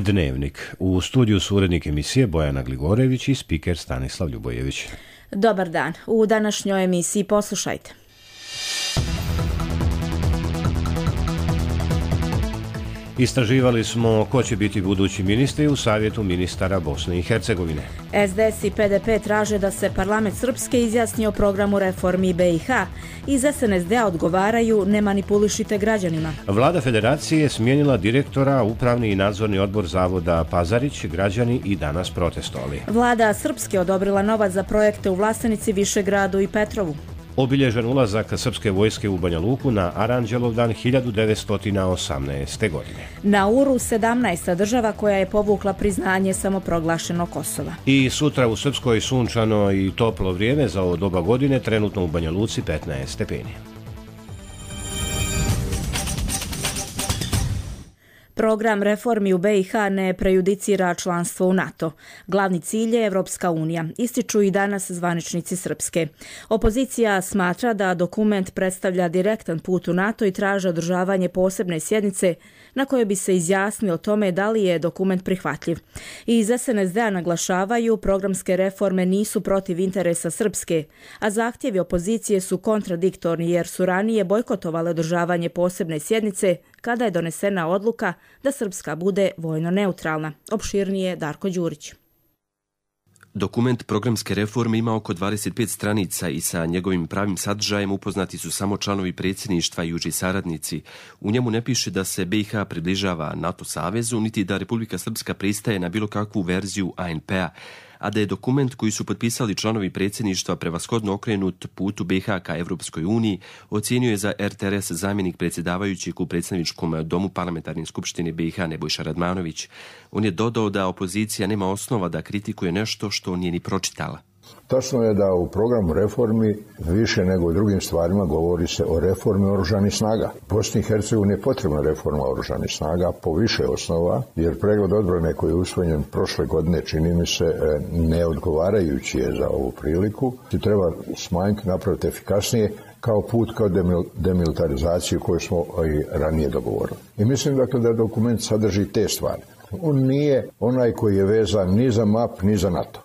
Dnevnik. U studiju su urednik emisije Bojana Gligorević i spiker Stanislav Ljubojević. Dobar dan. U današnjoj emisiji poslušajte. Istraživali smo ko će biti budući ministri u Savjetu ministara Bosne i Hercegovine. SDS i PDP traže da se parlament Srpske izjasni o programu reformi BiH. Iz SNSD-a odgovaraju ne manipulišite građanima. Vlada Federacije je smijenila direktora, upravni i nadzorni odbor zavoda Pazarić, građani i danas protestovali. Vlada Srpske odobrila novac za projekte u Vlastenici, Višegradu i Petrovu. Obilježen ulazak srpske vojske u Banja Luku na Aranđelovdan 1918. godine. Nauru 17. država koja je povukla priznanje samoproglašenog Kosova. I sutra u Srpskoj sunčano i toplo vrijeme za ovo doba godine, trenutno u Banja Luci 15 stepeni. Program reformi u BiH ne prejudicira članstvo u NATO. Glavni cilj je Evropska unija, ističu i danas zvaničnici Srpske. Opozicija smatra da dokument predstavlja direktan put u NATO i traže održavanje posebne sjednice na kojoj bi se izjasnili o tome da li je dokument prihvatljiv. I iz SNSD-a naglašavaju programske reforme nisu protiv interesa Srpske, a zahtjevi opozicije su kontradiktorni jer su ranije bojkotovale održavanje posebne sjednice kada je donesena odluka da Srpska bude vojno neutralna. Opširnije Darko Đurić. Dokument programske reforme ima oko 25 stranica i sa njegovim pravim sadržajem upoznati su samo članovi predsjedništva i uži saradnici. U njemu ne piše da se BiH približava NATO savezu, niti da Republika Srpska pristaje na bilo kakvu verziju ANP-a, a da je dokument koji su potpisali članovi predsjedništva prevashodno okrenut putu BiH ka Evropskoj uniji, ocijenio je za RTRS zamjenik predsjedavajućeg u predstavničkom domu parlamentarne skupštine BiH Nebojša Radmanović. On je dodao da opozicija nema osnova da kritikuje nešto što nije ni pročitala. Tačno je da u programu reformi više nego u drugim stvarima govori se o reformi oružanih snaga. Bosni i Hercegovini je potrebna reforma oružanih snaga po više osnova, jer pregled odbrane koji je usvojen prošle godine čini mi se neodgovarajući je za ovu priliku. Treba smanjiti, napraviti efikasnije kao put kao demilitarizaciju koju smo i ranije dogovorili. I mislim dakle da dokument sadrži te stvari. On nije onaj koji je vezan ni za MAP ni za NATO.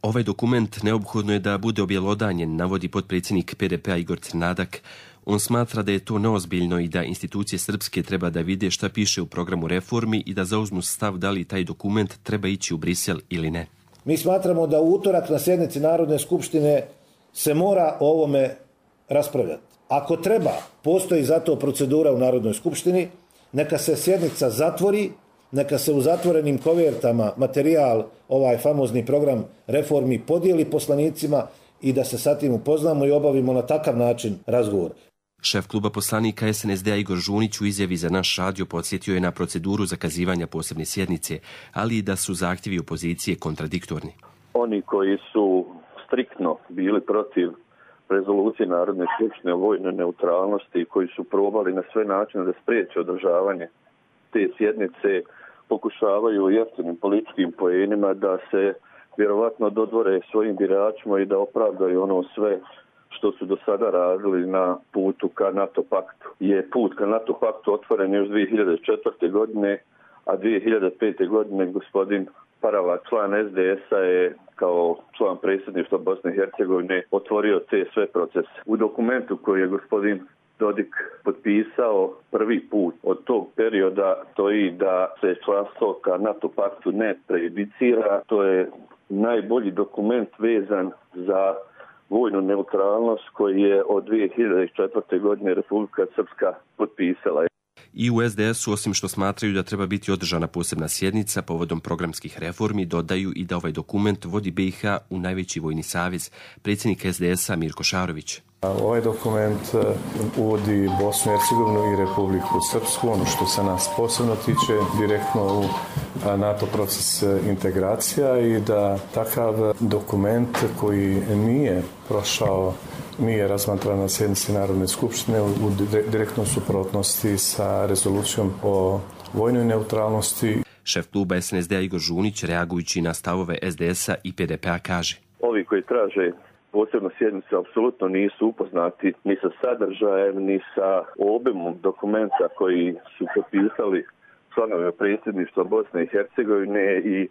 Ovaj dokument neophodno je da bude objelodanjen, navodi potpredsjednik PDP-a Igor Crnadak. On smatra da je to neozbiljno i da institucije srpske treba da vide šta piše u programu reformi i da zauzmu stav da li taj dokument treba ići u Brisel ili ne. Mi smatramo da u utorak na sjednici Narodne skupštine se mora o ovome raspravljati. Ako treba, postoji za to procedura u Narodnoj skupštini, neka se sjednica zatvori, neka se u zatvorenim kovertama materijal, ovaj famozni program reformi podijeli poslanicima i da se sa tim upoznamo i obavimo na takav način razgovor. Šef kluba poslanika SNSD-a Igor Žunić u izjavi za naš radio podsjetio je na proceduru zakazivanja posebne sjednice, ali i da su zahtjevi opozicije kontradiktorni. Oni koji su striktno bili protiv rezolucije Narodne skupštine o vojnoj neutralnosti, koji su probali na sve načine da spriječe održavanje te sjednice, pokušavaju jeftinim političkim poenima da se vjerovatno dodvore svojim biračima i da opravdaju ono sve što su do sada radili na putu ka NATO paktu. Je put ka NATO paktu otvoren još 2004. godine, a 2005. godine gospodin Parava, član SDS-a, je kao član predsjedništva Bosne i Hercegovine otvorio te sve procese. U dokumentu koji je gospodin Dodik potpisao prvi put od tog perioda stoji da se članstvo ka NATO paktu ne prejudicira. To je najbolji dokument vezan za vojnu neutralnost koji je od 2004. godine Republika Srpska potpisala. I u SDS-u, osim što smatraju da treba biti održana posebna sjednica povodom programskih reformi, dodaju i da ovaj dokument vodi BiH u najveći vojni savez. Predsjednik SDS-a Mirko Šarović. Ovaj dokument uvodi Bosnu i Hercegovinu i Republiku Srpsku, ono što se nas posebno tiče, direktno u NATO proces integracija i da takav dokument koji nije prošao, nije razmatran na sjednici Narodne skupštine u direktnoj suprotnosti sa rezolucijom o vojnoj neutralnosti. Šef kluba SNSD-a Igor Žunić, reagujući na stavove SDS-a i PDP-a, kaže: Ovi koji traže posebno sjednicu apsolutno nisu upoznati ni sa sadržajem, ni sa obimom dokumenta koji su potpisali članovima predsjedništva Bosne i Hercegovine i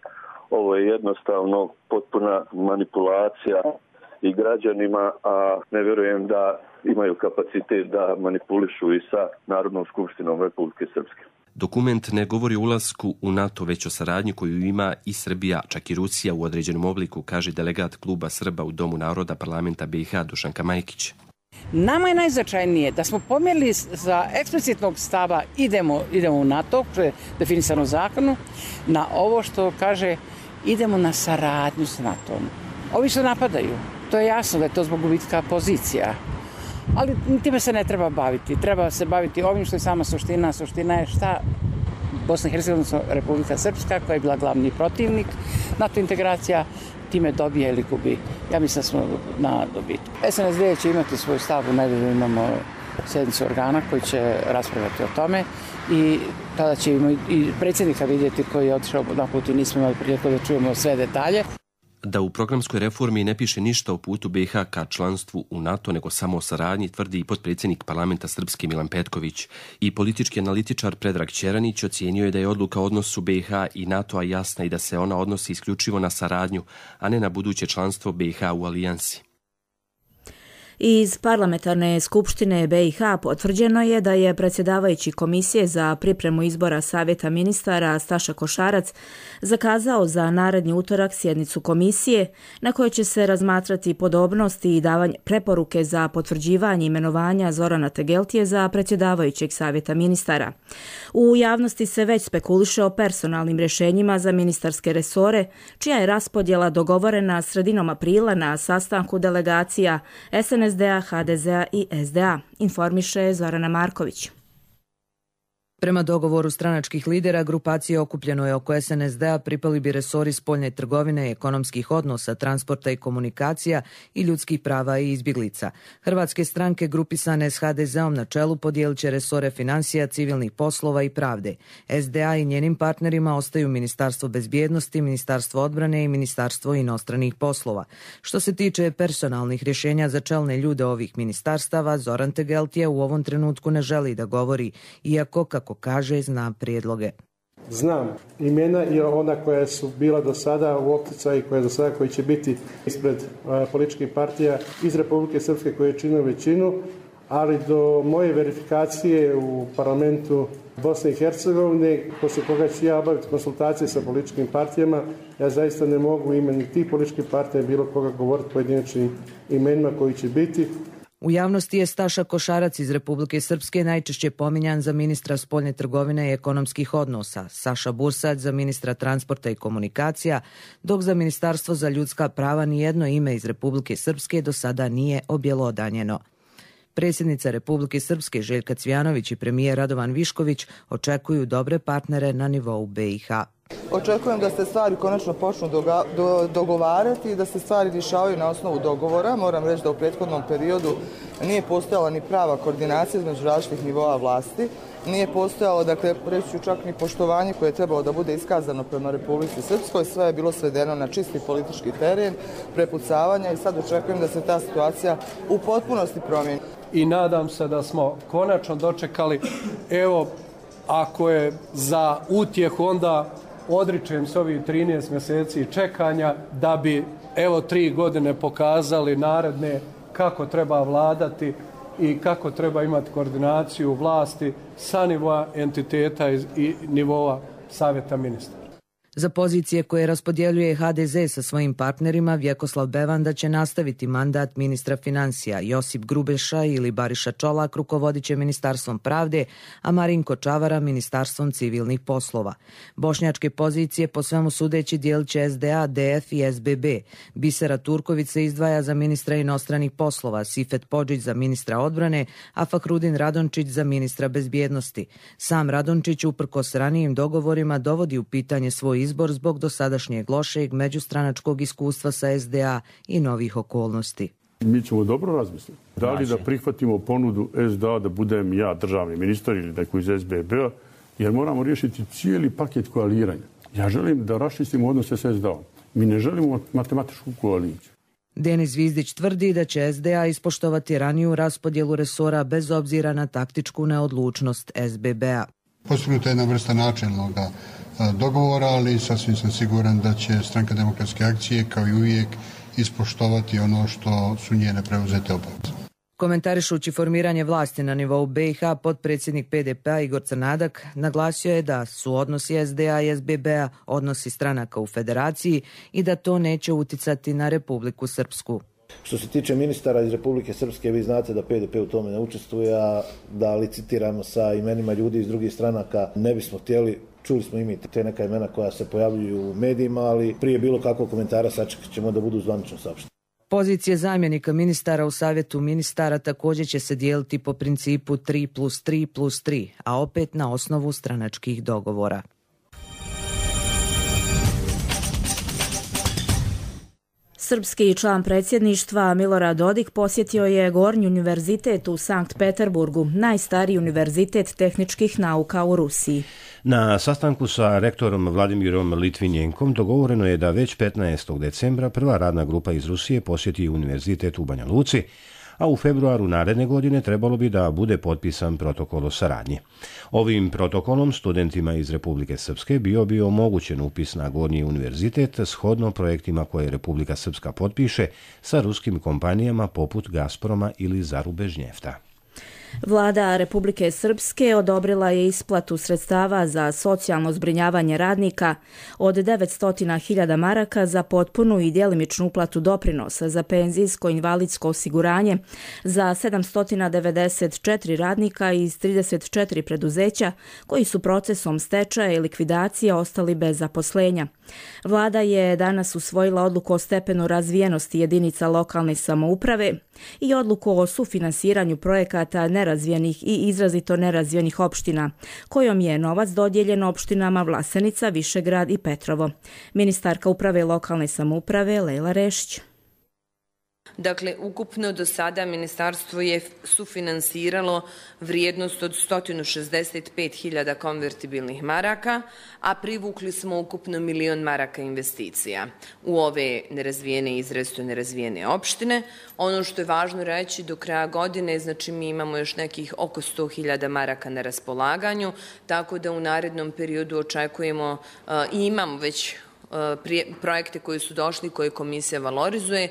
ovo je jednostavno potpuna manipulacija i građanima, a ne vjerujem da imaju kapacitet da manipulišu i sa Narodnom skupštinom Republike Srpske. Dokument ne govori o ulasku u NATO, već o saradnji koju ima i Srbija, čak i Rusija u određenom obliku, kaže delegat kluba Srba u Domu naroda parlamenta BiH Dušanka Majkić. Nama je najznačajnije da smo pomjerili za eksplicitnog stava idemo u NATO, što je definisano u zakonu, na ovo što kaže idemo na saradnju s NATO-om. Ovi što napadaju, to je jasno da je to zbog gubitka pozicija. Ali time se ne treba baviti. Treba se baviti ovim što je sama suština. Suština je šta Bosna i Hercegovina, Republika Srpska, koja je bila glavni protivnik NATO integracija, time dobije ili gubi. Ja mislim da smo na dobitku. SNSD će imati svoj stav, u nedelju imamo sjednicu organa koji će raspravljati o tome i tada ćemo i predsjednika vidjeti koji je otišao na put i nismo imali priliku da čujemo sve detalje. Da u programskoj reformi ne piše ništa o putu BiH ka članstvu u NATO, nego samo o saradnji, tvrdi i potpredsjednik parlamenta Srpske Milan Petković. I politički analitičar Predrag Ćeranić ocijenio je da je odluka o odnosu BiH i NATO-a jasna i da se ona odnosi isključivo na saradnju, a ne na buduće članstvo BiH u alijansi. Iz Parlamentarne skupštine BiH potvrđeno je da je predsjedavajući Komisije za pripremu izbora Savjeta ministara Staša Košarac zakazao za naredni utorak sjednicu komisije na kojoj će se razmatrati podobnosti i davanje preporuke za potvrđivanje imenovanja Zorana Tegeltije za predsjedavajućeg Savjeta ministara. U javnosti se već spekuliše o personalnim rješenjima za ministarske resore, čija je raspodjela dogovorena sredinom aprila na sastanku delegacija SNSD-a, HDZ-a i SDA, informiše Zorana Marković. Prema dogovoru stranačkih lidera, grupacije okupljenoj oko SNSD-a pripali bi resori spoljne trgovine, ekonomskih odnosa, transporta i komunikacija i ljudskih prava i izbjeglica. Hrvatske stranke grupisane s HDZ-om na čelu podijelit će resore financija, civilnih poslova i pravde. SDA i njenim partnerima ostaju Ministarstvo bezbjednosti, Ministarstvo odbrane i Ministarstvo inostranih poslova. Što se tiče personalnih rješenja za čelne ljude ovih ministarstava, Zoran Tegeltije u ovom trenutku ne želi da govori, iako, kako kaže, zna prijedloge. Znam imena i ona koja su bila do sada u opticaju koji će biti ispred političkih partija iz Republike Srpske koje čine većinu, ali do moje verifikacije u parlamentu Bosne i Hercegovine, poslije koga ću ja obaviti konsultacije sa političkim partijama, ja zaista ne mogu imeni tih političkih partija bilo koga govoriti pojedinačnim imenima koji će biti. U javnosti je Staša Košarac iz Republike Srpske najčešće pominjan za ministra spoljne trgovine i ekonomskih odnosa, Saša Bursać za ministra transporta i komunikacija, dok za Ministarstvo za ljudska prava nijedno ime iz Republike Srpske do sada nije objelodanjeno. Predsjednica Republike Srpske Željka Cvjanović i premijer Radovan Višković očekuju dobre partnere na nivou BiH. Očekujem da se stvari konačno počnu dogovarati i da se stvari rješavaju na osnovu dogovora. Moram reći da u prethodnom periodu nije postojala ni prava koordinacija između različitih nivoa vlasti. Nije postojalo, dakle, reći ću čak ni poštovanje koje je trebalo da bude iskazano prema Republici Srpskoj. Sve je bilo svedeno na čisti politički teren, prepucavanja i sad očekujem da se ta situacija u potpunosti promijeni. I nadam se da smo konačno dočekali, evo, ako je za utjehu, onda odričem se ovih 13 mjeseci čekanja da bi, evo, 3 godine pokazali naredne kako treba vladati i kako treba imati koordinaciju vlasti sa nivoa entiteta i nivoa Savjeta ministara. Za pozicije koje raspodjeljuje HDZ sa svojim partnerima, Vjekoslav Bevanda će nastaviti mandat ministra financija, Josip Grubeša ili Bariša Čolak rukovodit će Ministarstvom pravde, a Marinko Čavara Ministarstvom civilnih poslova. Bošnjačke pozicije po svemu sudeći dijelit će SDA, DF i SBB. Bisera Turković se izdvaja za ministra inostranih poslova, Sifet Podžić za ministra odbrane, a Fahrudin Radončić za ministra bezbjednosti. Sam Radončić uprkos ranijim dogovorima dovodi u pitanje svoj izbor zbog dosadašnjeg lošeg međustranačkog iskustva sa SDA i novih okolnosti. Mi ćemo dobro razmisliti. Da li da prihvatimo ponudu SDA da budem ja državni ministar ili neko iz SBB-a, jer moramo riješiti cijeli paket koaliranja. Ja želim da raščistimo odnose sa SDA-om. Mi ne želimo matematičku koaliciju. Denis Zvizdić tvrdi da će SDA ispoštovati raniju raspodjelu resora bez obzira na taktičku neodlučnost SBB-a. Postignuta je jedna vrsta načelnog dogovora, ali sasvim sam siguran da će Stranka demokratske akcije kao i uvijek ispoštovati ono što su njene preuzete obaveze. Komentarišući formiranje vlasti na nivou BiH, potpredsjednik PDP-a Igor Crnadak naglasio je da su odnosi SDA i SBB-a odnosi stranaka u federaciji i da to neće uticati na Republiku Srpsku. Što se tiče ministara iz Republike Srpske, vi znate da PDP u tome ne učestvuje, a da licitiramo sa imenima ljudi iz drugih stranaka ne bismo htjeli. Čuli smo i mi te neka imena koja se pojavljuju u medijima, ali prije bilo kakvog komentara sačekat ćemo da budu zvanično saopšteni. Pozicije zamjenika ministara u savjetu ministara također će se dijeliti po principu 3+3+3, a opet na osnovu stranačkih dogovora. Srpski član predsjedništva Milorad Dodik posjetio je Gornji univerzitet u Sankt Peterburgu, najstariji univerzitet tehničkih nauka u Rusiji. Na sastanku sa rektorom Vladimirom Litvinjenkom dogovoreno je da već 15. decembra prva radna grupa iz Rusije posjeti univerzitet u Banja Luci, a u februaru naredne godine trebalo bi da bude potpisan protokol o saradnji. Ovim protokolom studentima iz Republike Srpske bio bi omogućen upis na Gornji univerzitet shodno projektima koje Republika Srpska potpiše sa ruskim kompanijama poput Gazproma ili Zarubežnjefta. Vlada Republike Srpske odobrila je isplatu sredstava za socijalno zbrinjavanje radnika od 900.000 maraka za potpunu i djelimičnu uplatu doprinosa za penzijsko invalidsko osiguranje za 794 radnika iz 34 preduzeća koji su procesom stečaja i likvidacije ostali bez zaposlenja. Vlada je danas usvojila odluku o stepenu razvijenosti jedinica lokalne samouprave i odluku o sufinansiranju projekata nerazvijenih i izrazito nerazvijenih opština, kojom je novac dodijeljen opštinama Vlasenica, Višegrad i Petrovo. Ministarka uprave lokalne samouprave Lejla Rešić. Dakle, ukupno do sada ministarstvo je sufinansiralo vrijednost od 165.000 konvertibilnih maraka, a privukli smo ukupno 1.000.000 maraka investicija u ove nerazvijene i izrazito nerazvijene opštine. Ono što je važno reći, do kraja godine, znači mi imamo još nekih oko 100.000 maraka na raspolaganju, tako da u narednom periodu očekujemo i imamo već projekte koji su došli, koje komisija valorizuje.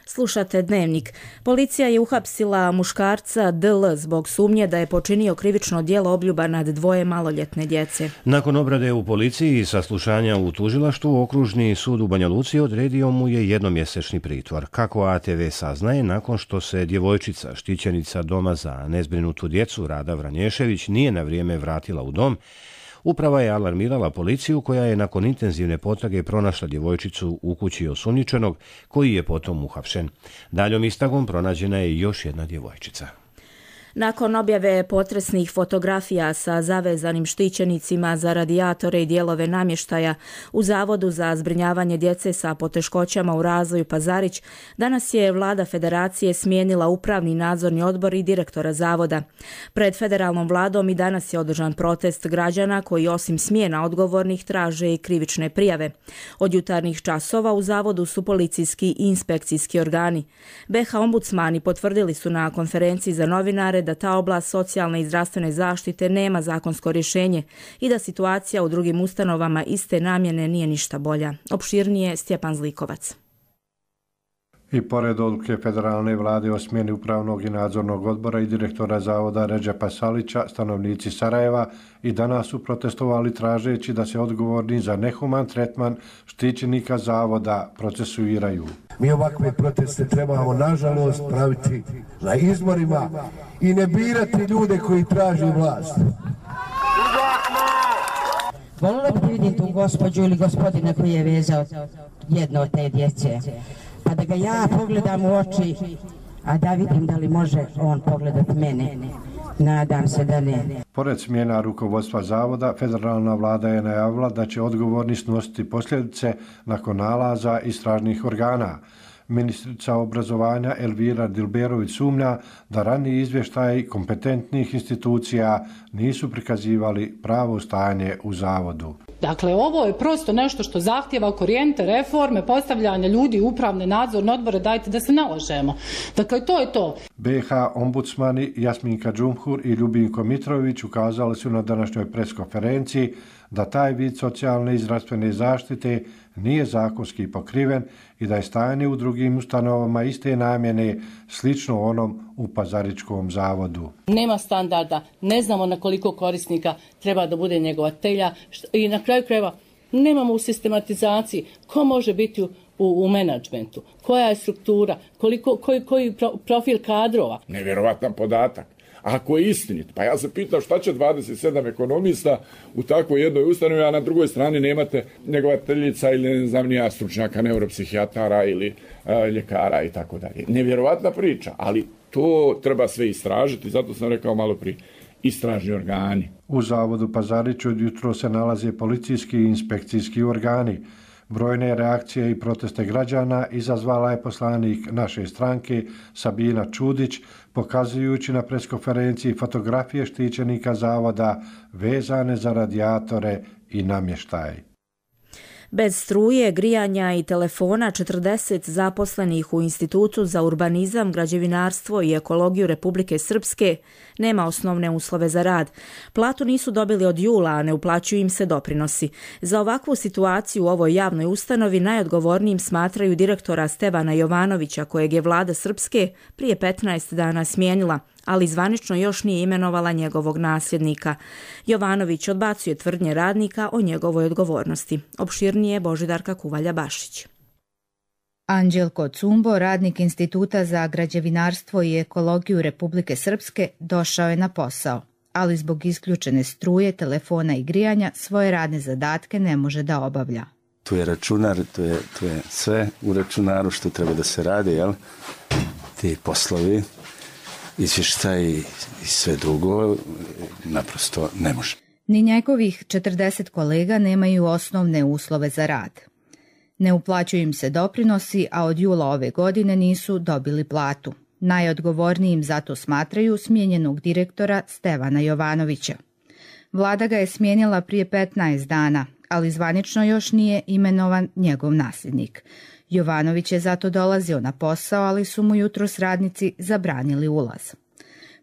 Slušate Dnevnik. Policija je uhapsila muškarca DL zbog sumnje da je počinio krivično djelo obljuba nad 2 maloljetne djece. Nakon obrade u policiji i saslušanja u tužilaštvu, Okružni sud u Banja Luci odredio mu je jednomjesečni pritvor. Kako ATV saznaje, nakon što se djevojčica, štićenica doma za nezbrinutu djecu Rada Vranješević, nije na vrijeme vratila u dom, uprava je alarmirala policiju koja je nakon intenzivne potrage pronašla djevojčicu u kući osumnjičenog, koji je potom uhapšen. Daljom istragom pronađena je još jedna djevojčica. Nakon objave potresnih fotografija sa zavezanim štićenicima za radijatore i dijelove namještaja u Zavodu za zbrinjavanje djece sa poteškoćama u razvoju Pazarić, danas je Vlada Federacije smijenila upravni nadzorni odbor i direktora zavoda. Pred federalnom vladom i danas je održan protest građana koji osim smjena odgovornih traže i krivične prijave. Od jutarnjih časova u zavodu su policijski i inspekcijski organi. BiH ombudsmani potvrdili su na konferenciji za novinare da ta oblast socijalne i zdravstvene zaštite nema zakonsko rješenje i da situacija u drugim ustanovama iste namjene nije ništa bolja. Opširnije Stjepan Zlikovac. I pored odluke federalne vlade o smjeni upravnog i nadzornog odbora i direktora zavoda Redžepa Salića, stanovnici Sarajeva i danas su protestovali tražeći da se odgovorni za nehuman tretman štićenika zavoda procesuiraju. Mi ovakve proteste trebamo, nažalost, praviti na izborima i ne birati ljude koji traži vlast. Volila bi vidim tu gospođu ili gospodina koji je vezao jedno od te djece. Pa da ga ja pogledam u oči, a da vidim da li može on pogledati mene. Nadam se da ne. Pored smjena rukovodstva zavoda, federalna vlada je najavila da će odgovorni snositi posljedice nakon nalaza istražnih organa. Ministrica obrazovanja Elvira Dilberović sumnja da raniji izvještaji kompetentnih institucija nisu prikazivali pravo stanje u zavodu. Dakle, ovo je prosto nešto što zahtjeva korijenite reforme, postavljanje ljudi u upravne nadzorne odbore, dajte da se nalažemo. Dakle, to je to. BiH ombudsmani Jasminka Džumhur i Ljubinko Mitrović ukazali su na današnjoj preskonferenciji da taj vid socijalne i zdravstvene zaštite nije zakonski pokriven i da je stanje u drugim ustanovama iste namjene slično onom u Pazaričkom zavodu. Nema standarda, ne znamo na koliko korisnika treba da bude njegovatelja i na kraju krajeva nemamo u sistematizaciji ko može biti u menadžmentu, koja je struktura, koji profil kadrova. Nevjerovatan podatak. Ako je istinit, pa ja se pitam šta će 27 ekonomista u takvoj jednoj ustanovi, a na drugoj strani nemate njegovateljica ili ne znam nija stručnjaka, neuropsihijatara ili ljekara i tako dalje. Nevjerovatna priča, ali to treba sve istražiti, zato sam rekao malo prije, istražni organi. U zavodu Pazarić od jutro se nalaze policijski i inspekcijski organi. Brojne reakcije i proteste građana izazvala je poslanik naše stranke Sabina Čudić, pokazujući na preskonferenciji fotografije štićenika zavoda vezane za radijatore i namještaj. Bez struje, grijanja i telefona 40 zaposlenih u Institutu za urbanizam, građevinarstvo i ekologiju Republike Srpske nema osnovne uslove za rad. Platu nisu dobili od jula, a ne uplaćuju im se doprinosi. Za ovakvu situaciju u ovoj javnoj ustanovi najodgovornijim smatraju direktora Stevana Jovanovića, kojeg je vlada Srpske prije 15 dana smijenila, ali zvanično još nije imenovala njegovog nasljednika. Jovanović odbacuje tvrdnje radnika o njegovoj odgovornosti. Opširnije Božidarka Kuvalja-Bašić. Anđelko Cumbo, radnik Instituta za građevinarstvo i ekologiju Republike Srpske, došao je na posao, ali zbog isključene struje, telefona i grijanja svoje radne zadatke ne može da obavlja. Tu je računar, tu je sve u računaru što treba da se radi, jel? Ti poslovi, izvještaj i sve drugo, naprosto ne može. Ni njegovih 40 kolega nemaju osnovne uslove za rad. Ne uplaćuju im se doprinosi, a od jula ove godine nisu dobili platu. Najodgovornijim zato smatraju smijenjenog direktora Stevana Jovanovića. Vlada ga je smijenila prije 15 dana, ali zvanično još nije imenovan njegov nasljednik. Jovanović je zato dolazio na posao, ali su mu jutros radnici zabranili ulaz.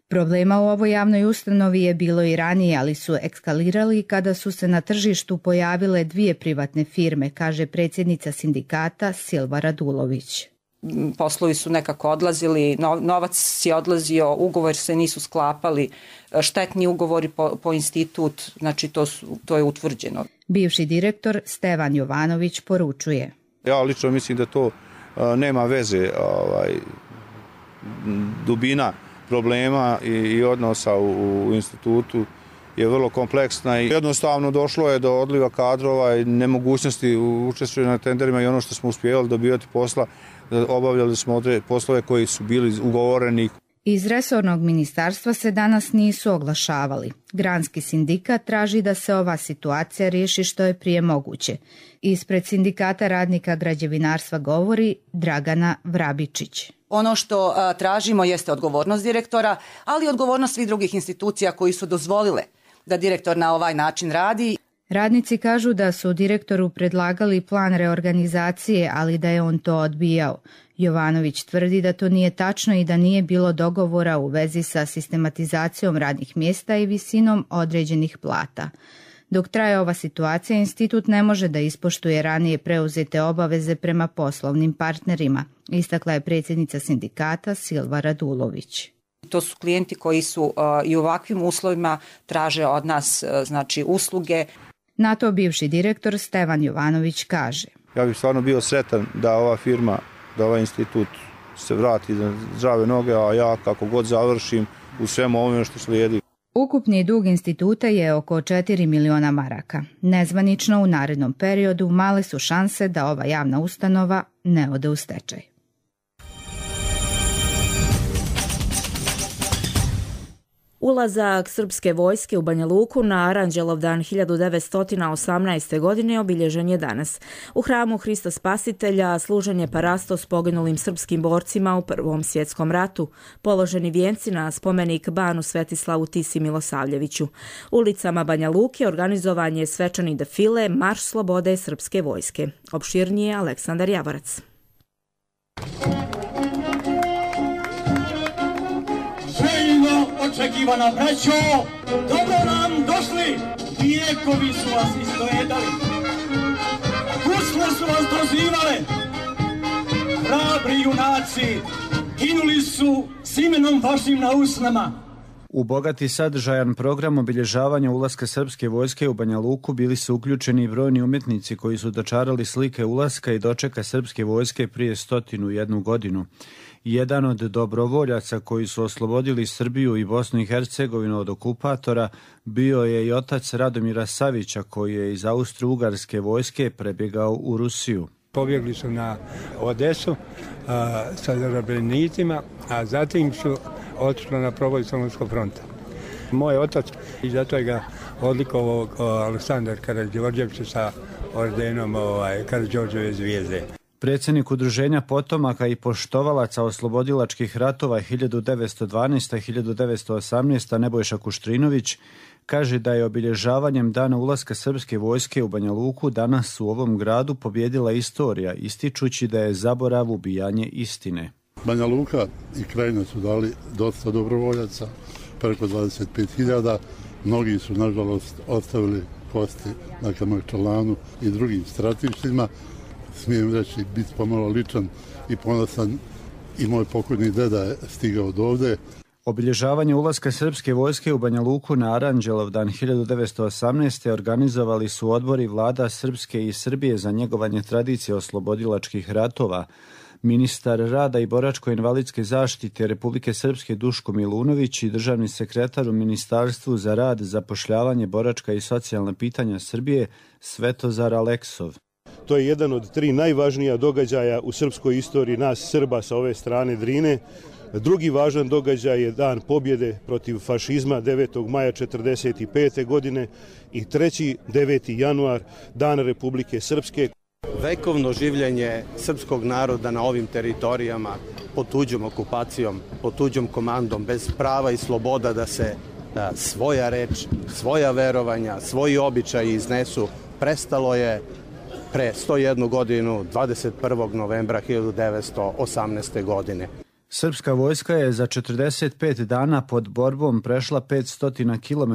Problema u ovoj javnoj ustanovi je bilo i ranije, ali su ekskalirali kada su se na tržištu pojavile dvije privatne firme, kaže predsjednica sindikata Silva Radulović. Poslovi su nekako odlazili, novac je odlazio, ugovori se nisu sklapali, štetni ugovori po institut, znači to je utvrđeno. Bivši direktor Stevan Jovanović poručuje. Ja lično mislim da to nema veze, dubina problema i odnosa u institutu je vrlo kompleksna i jednostavno došlo je do odliva kadrova i nemogućnosti učestvovanja na tenderima i ono što smo uspjevali dobivati posla, obavljali smo poslove koji su bili ugovoreni. Iz resornog ministarstva se danas nisu oglašavali. Granski sindikat traži da se ova situacija riješi što je prije moguće. Ispred sindikata radnika građevinarstva govori Dragana Vrabičić. Ono što tražimo jeste odgovornost direktora, ali i odgovornost svih drugih institucija koji su dozvolile da direktor na ovaj način radi. Radnici kažu da su direktoru predlagali plan reorganizacije, ali da je on to odbijao. Jovanović tvrdi da to nije tačno i da nije bilo dogovora u vezi sa sistematizacijom radnih mjesta i visinom određenih plata. Dok traje ova situacija, institut ne može da ispoštuje ranije preuzete obaveze prema poslovnim partnerima, istakla je predsjednica sindikata Silva Radulović. To su klijenti koji su i u ovakvim uslovima traže od nas usluge. Na to bivši direktor Stevan Jovanović kaže. Ja bih stvarno bio sretan da ova firma, da ovaj institut se vrati na zdrave noge, a ja kako god završim u svemu ovome što slijedi. Ukupni dug instituta je oko 4 miliona maraka. Nezvanično u narednom periodu male su šanse da ova javna ustanova ne ode u stečaj. Ulazak srpske vojske u Banja Luku na Aranđelovdan 1918. godine obilježen je danas. U hramu Hrista Spasitelja služen je parastos poginulim srpskim borcima u Prvom svjetskom ratu, položeni vijenci na spomenik Banu Svetislavu Tisi Milosavljeviću. Ulicama Banja Luke organizovan je svečani defile Marš slobode srpske vojske. Opširnije Aleksandar Javorac. Očekivana braćo, dobro nam došli, vijekovi su vas istojedali, gusle su vas dozivale, hrabri junaci ginuli su s imenom vašim na usnama. U bogati sadržajan program obilježavanja ulaska srpske vojske u Banja Luku bili su uključeni i brojni umjetnici koji su dočarali slike ulaska i dočeka srpske vojske prije 101 godinu. Jedan od dobrovoljaca koji su oslobodili Srbiju i Bosnu i Hercegovinu od okupatora bio je i otac Radomira Savića koji je iz Austro-Ugarske vojske prebjegao u Rusiju. Pobjegli su na Odesu sa zarobljenicima, a zatim su otišli na proboj Solunskog fronta. Moj otac, i zato je ga odlikovao Aleksandar Karađorđević sa ordenom Karađorđeve zvijezde. Predsjednik Udruženja potomaka i poštovalaca oslobodilačkih ratova 1912-1918 Nebojša Kuštrinović kaže da je obilježavanjem dana ulaska srpske vojske u Banja Luku danas u ovom gradu pobjedila istorija, ističući da je zaborav ubijanje istine. Banja Luka i Krajina su dali dosta dobrovoljaca, preko 25.000. Mnogi su, nažalost, ostavili kosti na Kamakčalanu i drugim stratištima. Smijem reći, biti pomalo ličan i ponosan, i moj pokojni deda je stigao od ovde. Obilježavanje ulaska srpske vojske u Banja Luku na Aranđelovdan 1918. organizovali su odbori vlada Srpske i Srbije za njegovanje tradicije oslobodilačkih ratova. Ministar rada i boračko-invalidske zaštite Republike Srpske Duško Milunović i državni sekretar u Ministarstvu za rad, zapošljavanje, boračka i socijalna pitanja Srbije Svetozar Aleksov. To je jedan od 3 najvažnija događaja u srpskoj istoriji nas Srba sa ove strane Drine. Drugi važan događaj je dan pobjede protiv fašizma 9. maja 1945. godine i treći 9. januar, dan Republike Srpske. Vekovno življenje srpskog naroda na ovim teritorijama pod tuđom okupacijom, pod tuđom komandom, bez prava i sloboda da se svoja reč, svoja verovanja, svoji običaji iznesu, prestalo je pre 101 godinu, 21. novembra 1918. godine. Srpska vojska je za 45 dana pod borbom prešla 500 km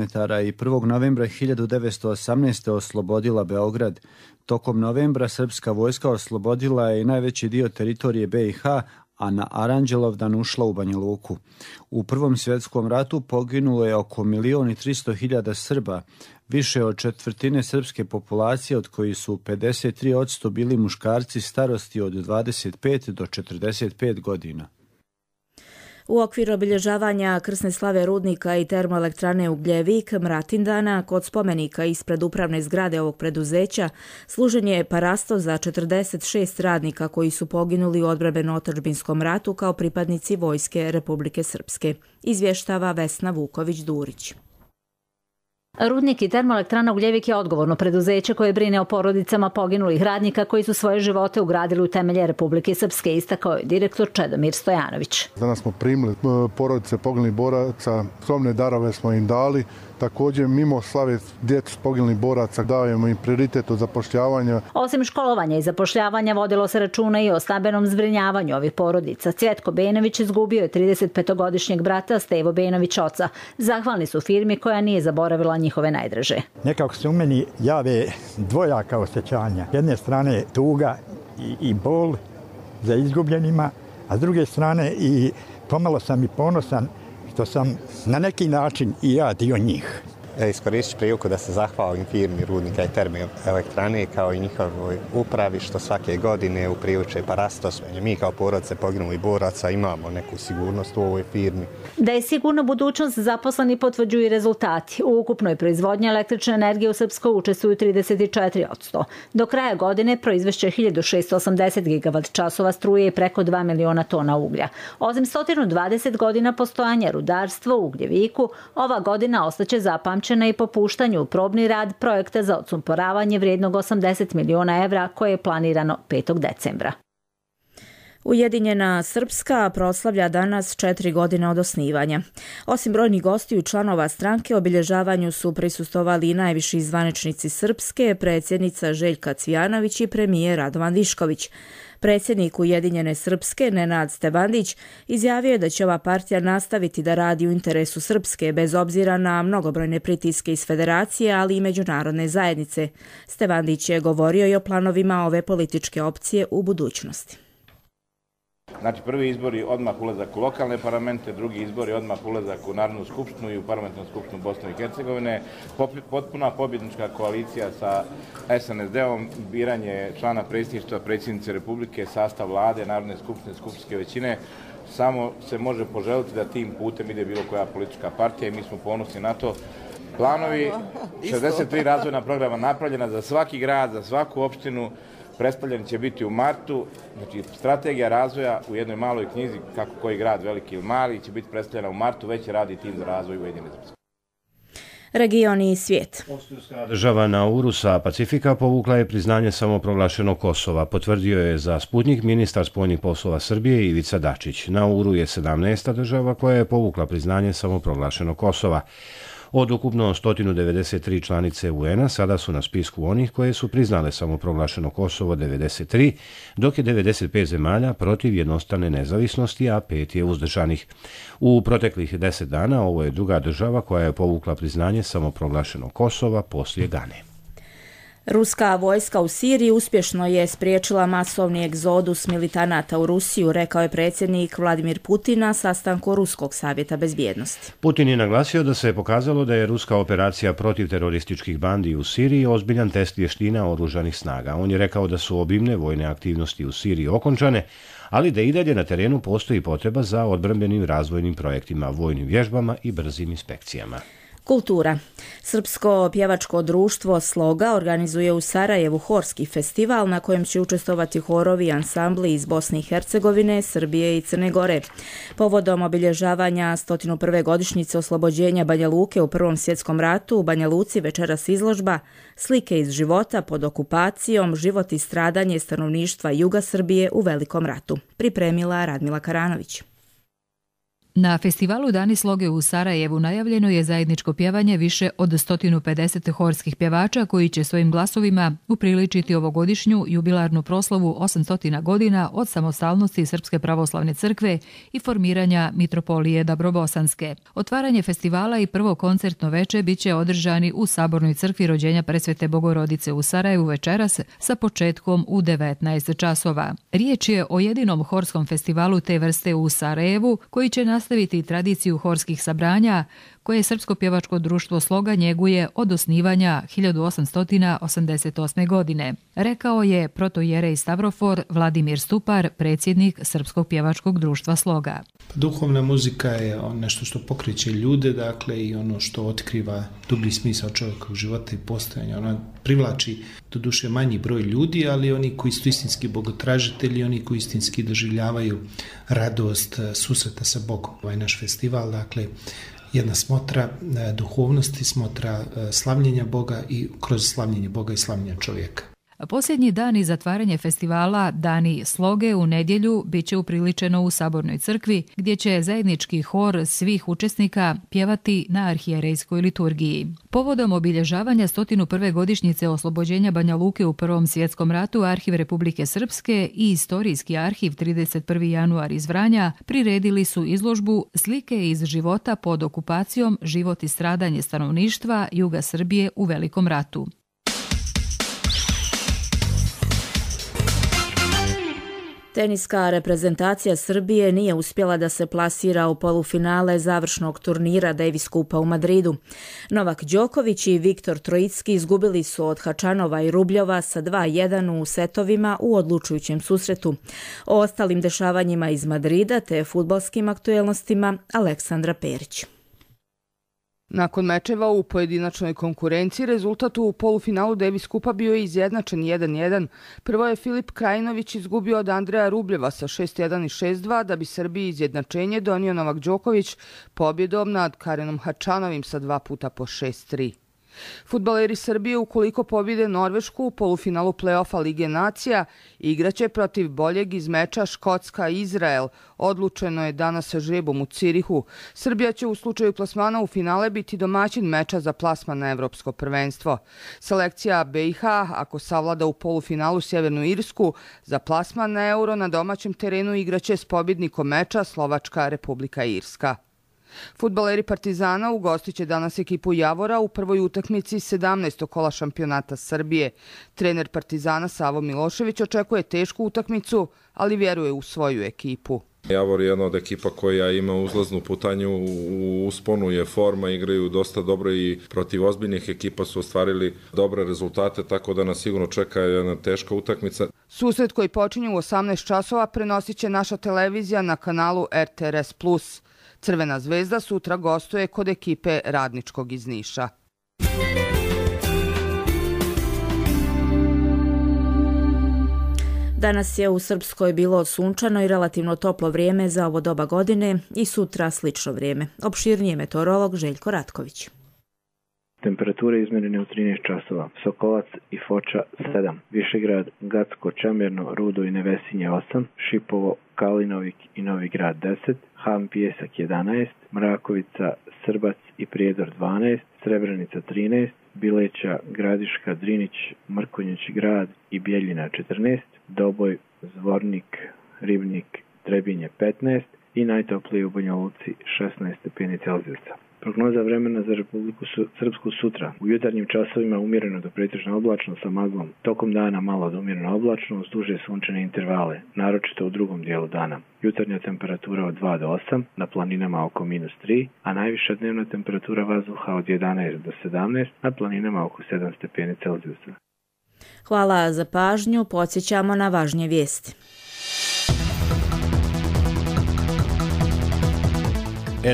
i 1. novembra 1918. oslobodila Beograd. Tokom novembra srpska vojska oslobodila je i najveći dio teritorije BiH, a na Aranđelovdan ušla u Banja Luku. U Prvom svjetskom ratu poginulo je oko 1.300.000 Srba, više od četvrtine srpske populacije, od kojih su 53% bili muškarci starosti od 25 do 45 godina. U okviru obilježavanja krsne slave rudnika i termoelektrane Ugljevik Mratindana kod spomenika ispred upravne zgrade ovog preduzeća služen je parastos za 46 radnika koji su poginuli u odbrambeno-otadžbinskom ratu kao pripadnici vojske Republike Srpske. Izvještava Vesna Vuković-Durić. Rudnik i termoelektrana Ugljevik je odgovorno preduzeće koje brine o porodicama poginulih radnika koji su svoje živote ugradili u temelje Republike Srpske, istakao je direktor Čedomir Stojanović. Danas smo primili porodice poginulih boraca, skromne darove smo im dali. Također, mimo slave djecu poginulih boraca, dajemo im prioritet od zapošljavanja. Osim školovanja i zapošljavanja, vodilo se računa i o stambenom zbrinjavanju ovih porodica. Cvjetko Benović izgubio je 35-godišnjeg brata Stevo Benović oca. Zahvalni su firmi koja nije zaboravila njihove najdraže. Nekako se u meni jave dvojaka osjećanja. Jedne strane tuga i bol za izgubljenima, a s druge strane i pomalo sam i ponosan što sam na neki način i ja dio njih. iskoristit priliku da se zahvalim firmi Rudnika i termoelektrane kao i njihovoj upravi što svake godine upriliče parastos. Mi kao porodice poginulih boraca imamo neku sigurnost u ovoj firmi. Da je sigurna budućnost zaposleni potvrđuju i rezultati. U ukupnoj proizvodnji električne energije u Srpskoj učestvuju 34%. Do kraja godine proizvešće 1680 gigavat časova struje i preko 2 miliona tona uglja. Osim 120 godina postojanja rudarstva u ugljeviku, ova godina ostaće zapamćena i po puštanju u probni rad projekta za odsumporavanje vrijednog 80 miliona evra koje je planirano 5. decembra. Ujedinjena Srpska proslavlja danas 4 godine od osnivanja. Osim brojnih gostiju i članova stranke, obilježavanju su prisustvovali i najviši zvaničnici Srpske, predsjednica Željka Cvijanović i premijer Radovan Višković. Predsjednik Ujedinjene Srpske, Nenad Stevandić, izjavio je da će ova partija nastaviti da radi u interesu Srpske, bez obzira na mnogobrojne pritiske iz federacije, ali i međunarodne zajednice. Stevandić je govorio i o planovima ove političke opcije u budućnosti. Znači, prvi izbori odmah ulazak u lokalne parlamente, drugi izbori odmah ulazak u Narodnu skupštinu i u parlamentarnu skupštinu Bosne i Hercegovine, potpuna pobjednička koalicija sa SNSD-om, biranje člana predsjedništva, predsjednice Republike, sastav vlade, Narodne skupštine, skupštinske većine. Samo se može poželiti da tim putem ide bilo koja politička partija i mi smo ponosni na to. Planovi, 63 razvojna programa napravljena za svaki grad, za svaku opštinu, predstavljeni će biti u martu, znači strategija razvoja u jednoj maloj knjizi, kako koji grad, veliki ili mali, će biti predstavljena u martu, već radi tim za razvoj Ujedinjene Srpske. Region i svijet. Država Nauru sa Pacifika povukla je priznanje samoproglašenog Kosova. Potvrdio je za Sputnik ministar spoljnih poslova Srbije Ivica Dačić. Nauru je 17. država koja je povukla priznanje samoproglašenog Kosova. Od ukupno 193 članice UN-a sada su na spisku onih koje su priznale samoproglašeno Kosovo 93, dok je 95 zemalja protiv jednostrane nezavisnosti, a 5 je uzdržanih. U proteklih 10 dana ovo je druga država koja je povukla priznanje samoproglašenog Kosova poslije Gane. Ruska vojska u Siriji uspješno je spriječila masovni egzodus militanata u Rusiju, rekao je predsjednik Vladimir Putin na sastanku Ruskog savjeta bezbjednosti. Putin je naglasio da se je pokazalo da je ruska operacija protiv terorističkih bandi u Siriji ozbiljan test vještina oružanih snaga. On je rekao da su obimne vojne aktivnosti u Siriji okončane, ali da i dalje na terenu postoji potreba za odbrambenim razvojnim projektima, vojnim vježbama i brzim inspekcijama. Kultura. Srpsko pjevačko društvo Sloga organizuje u Sarajevu horski festival na kojem će učestvovati horovi i ansambli iz Bosne i Hercegovine, Srbije i Crne Gore. Povodom obilježavanja 101. godišnjice oslobođenja Banja Luke u Prvom svjetskom ratu u Banja Luci večeras izložba Slike iz života pod okupacijom, život i stradanje stanovništva juga Srbije u Velikom ratu. Pripremila Radmila Karanović. Na festivalu Dani sloge u Sarajevu najavljeno je zajedničko pjevanje više od 150 horskih pjevača koji će svojim glasovima upriličiti ovogodišnju jubilarnu proslavu 800 godina od samostalnosti Srpske pravoslavne crkve i formiranja Mitropolije Dabrobosanske. Otvaranje festivala i prvo koncertno veče biće održani u Sabornoj crkvi Rođenja Presvete Bogorodice u Sarajevu večeras sa početkom u 19 časova. Riječ je o jedinom horskom festivalu te vrste u Sarajevu koji će nastaviti tradiciju horskih sabranja koje Srpsko pjevačko društvo Sloga njeguje od osnivanja 1888. godine, rekao je protoijerej Stavrofor Vladimir Stupar, predsjednik Srpskog pjevačkog društva Sloga. Duhovna muzika je nešto što pokreće ljude, dakle, i ono što otkriva dublji smisao čovjekovog života i postojanja. Ona privlači do duše manji broj ljudi, ali oni koji su istinski bogotražitelji, oni koji istinski doživljavaju radost susreta sa Bogom. Ovaj naš festival, dakle, jedna smotra duhovnosti, smotra slavljenja Boga i kroz slavljenje Boga i slavljenja čovjeka. Posljednji dan i zatvaranje festivala Dani sloge u nedjelju biće upriličeno u Sabornoj crkvi, gdje će zajednički hor svih učesnika pjevati na arhijerejskoj liturgiji. Povodom obilježavanja 101. godišnjice oslobođenja Banja Luke u Prvom svjetskom ratu, Arhiv Republike Srpske i Istorijski arhiv 31. januar iz Vranja priredili su izložbu Slike iz života pod okupacijom, život i stradanje stanovništva juga Srbije u Velikom ratu. Teniska reprezentacija Srbije nije uspjela da se plasira u polufinale završnog turnira Davis Kupa u Madridu. Novak Đoković i Viktor Trojicki izgubili su od Hačanova i Rubljova sa 2:1 u setovima u odlučujućem susretu. O ostalim dešavanjima iz Madrida te fudbalskim aktuelnostima Aleksandra Perić. Nakon mečeva u pojedinačnoj konkurenciji, rezultat u polufinalu Davis Kupa bio je izjednačen 1:1. Prvo je Filip Krajinović izgubio od Andreja Rubljeva sa 6:1 i 6:2, da bi Srbiji izjednačenje donio Novak Đoković pobjedom nad Karenom Hačanovim sa 2 puta po 6:3. Fudbaleri Srbije, ukoliko pobjede Norvešku u polufinalu play-offa Lige nacija, igraće protiv boljeg iz meča Škotska-Izrael. Odlučeno je danas sa žrebom u Cirihu. Srbija će u slučaju plasmana u finale biti domaćin meča za plasman na Evropsko prvenstvo. Selekcija BiH, ako savlada u polufinalu Sjevernu Irsku, za plasman na Euro na domaćem terenu igraće s pobjednikom meča Slovačka Republika Irska. Fudbaleri Partizana ugostiće danas ekipu Javora u prvoj utakmici 17. kola šampionata Srbije. Trener Partizana Savo Milošević očekuje tešku utakmicu, ali vjeruje u svoju ekipu. Javor je jedna od ekipa koja ima uzlaznu putanju, u usponu je forma, igraju dosta dobro i protiv ozbiljnih ekipa su ostvarili dobre rezultate, tako da nas sigurno čeka jedna teška utakmica. Susret koji počinje u 18 časova prenosit će naša televizija na kanalu RTRS+. Crvena zvezda sutra gostuje kod ekipe Radničkog iz Niša. Danas je u Srpskoj bilo sunčano i relativno toplo vrijeme za ovo doba godine i sutra slično vrijeme. Opširnije meteorolog Željko Ratković. Temperature izmjerene u 13 časova. Sokolac i Foča 7, Višegrad, Gacko, Čamirno, Rudo i Nevesinje 8, Šipovo, Kalinovik i Novi Grad 10, Ham Pijesak 11, Mrakovica, Srbac i Prijedor 12, Srebrenica 13, Bileća, Gradiška, Drinić, Mrkonjić Grad i Bijeljina 14, Doboj, Zvornik, Ribnik, Trebinje 15 i najtoplije u Banja Luci 16 stepeni Celzijusa. Prognoza vremena za Republiku Srpsku sutra. U jutarnjim časovima umjereno do pretežno oblačno sa maglom. Tokom dana malo do umjereno oblačno uz duže sunčane intervale, naročito u drugom dijelu dana. Jutarnja temperatura od 2 do 8, na planinama oko -3, a najviša dnevna temperatura vazduha od 11 do 17, na planinama oko 7 stepeni Celzijusa. Hvala za pažnju, podsjećamo na važnije vijesti.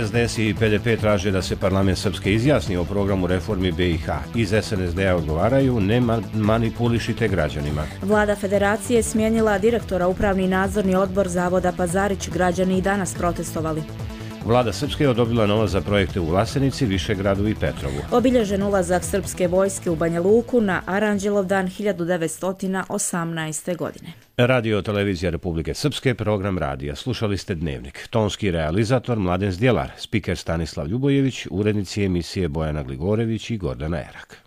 SDS i PDP traže da se parlament Srpske izjasni o programu reformi BiH. Iz SNSD-a odgovaraju, ne manipulišite građanima. Vlada Federacije smijenila direktora Upravni nadzorni odbor Zavoda Pazarić. Građani i danas protestovali. Vlada Srpske je odobrila novac za projekte u Vlasenici, Višegradu i Petrovu. Obilježen ulazak srpske vojske u Banja Luku na Aranđelov dan 1918. godine. Radio Televizija Republike Srpske, program radija. Slušali ste Dnevnik. Tonski realizator Mladen Zdjelar, spiker Stanislav Ljubojević, urednici emisije Bojana Gligorević i Gordana Erak.